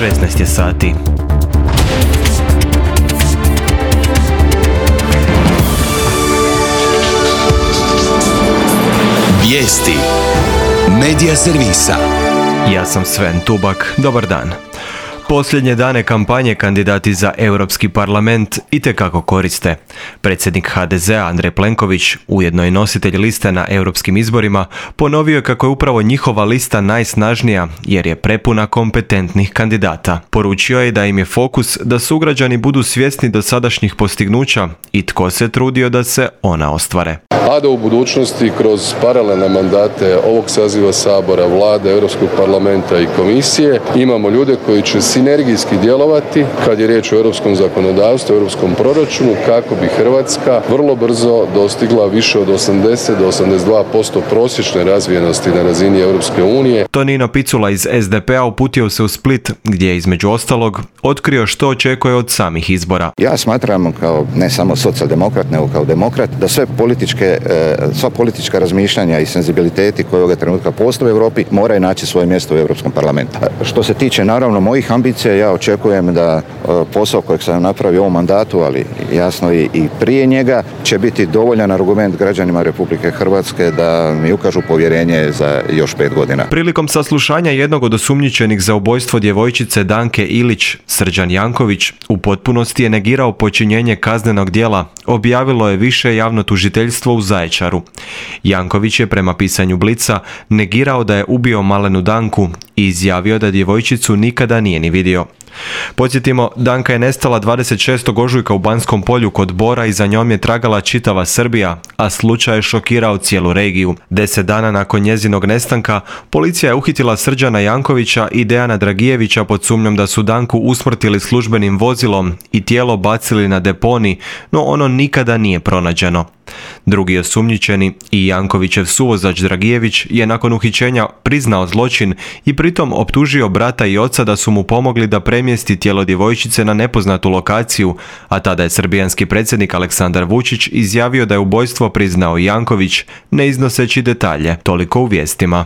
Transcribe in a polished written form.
16 je sati. Vijesti Medija servisa. Ja sam Sven Tubak, dobar dan. Posljednje dane kampanje kandidati za Europski parlament itekako koriste. Predsjednik HDZ-a Andrej Plenković, ujedno i nositelj liste na europskim izborima, ponovio je kako je upravo njihova lista najsnažnija jer je prepuna kompetentnih kandidata. Poručio je da im je fokus da sugrađani budu svjesni dosadašnjih postignuća i tko se trudio da se ona ostvare. A da u budućnosti kroz paralelne mandate ovog saziva Sabora, Vlade, Europskog parlamenta i komisije imamo ljude koji će sinergijski djelovati kad je riječ o europskom zakonodavstvu, europskom proračunu, kako bi Hrvatska vrlo brzo dostigla više od 80 do 82% prosječne razvijenosti na razini Europske unije. Tonino Picula iz SDP-a uputio se u Split, gdje je između ostalog otkrio što očekuje od samih izbora. Ja smatram kao ne samo socijaldemokrat, nego kao demokrat, da sva politička razmišljanja i senzibiliteti koje ovoga trenutka postoje u Europi moraju naći svoje mjesto u Europskom parlamentu. Što se tiče naravno mojih ambicija, ja očekujem da posao kojeg sam napravio u ovom mandatu, ali jasno i prije njega, će biti dovoljan argument građanima Republike Hrvatske da mi ukažu povjerenje za još 5 godina. Prilikom saslušanja jednog od osumnjičenih za ubojstvo djevojčice Danke Ilić, Srđan Janković u potpunosti je negirao počinjenje kaznenog djela, objavilo je više javno tužiteljstvo u Zaječaru. Janković je prema pisanju Blica negirao da je ubio malenu Danku i izjavio da djevojčicu nikada nije ni vidio. Podsjetimo, Danka je nestala 26. ožujka u Banskom polju kod Bora i za njom je tragala čitava Srbija, a slučaj je šokirao cijelu regiju. 10 dana nakon njezinog nestanka, policija je uhitila Srđana Jankovića i Dejana Dragijevića pod sumnjom da su Danku usmrtili službenim vozilom i tijelo bacili na deponi, no ono nikada nije pronađeno. Drugi osumnjičeni i Jankovićev suvozač Dragijević je nakon uhićenja priznao zločin i pritom optužio brata i oca da su mu pomogli da premjesti tijelo djevojčice na nepoznatu lokaciju, a tada je srbijanski predsjednik Aleksandar Vučić izjavio da je ubojstvo priznao Janković, ne iznoseći detalje. Toliko u vijestima.